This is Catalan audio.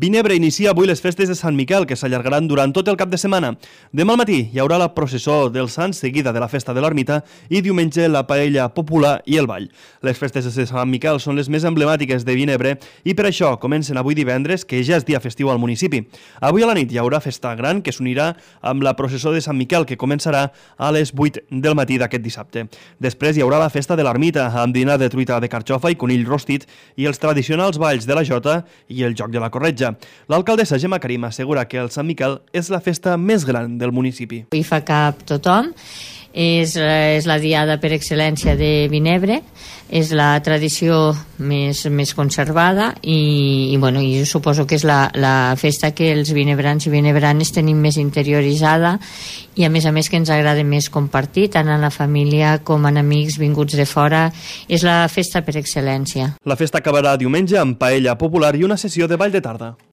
Vinebre inicia avui les festes de Sant Miquel, que s'allargaran durant tot el cap de setmana. Demà al matí hi haurà la processó dels Sants, seguida de la festa de l'Ermita, i diumenge la paella popular i el ball. Les festes de Sant Miquel són les més emblemàtiques de Vinebre i per això comencen avui divendres, que ja és dia festiu al municipi. Avui a la nit hi haurà festa gran que s'unirà amb la processó de Sant Miquel, que començarà a les 8 del matí d'aquest dissabte. Després hi haurà la festa de l'Ermita, amb dinar de truita de carxofa i conill rostit i els tradicionals balls de la jota i el joc de la corretja. L'alcaldessa Gemma Karim assegura que el Sant Miquel és la festa més gran del municipi. Hi fa cap tothom, és la diada per excel·lència de Vinebre, és la tradició més conservada i suposo que és la festa que els vinebrans i vinebranes tenim més interioritzada i a més que ens agrada més compartir, tant en la família com en amics vinguts de fora. És la festa per excel·lència. La festa acabarà diumenge amb paella popular i una sessió de ball de tarda.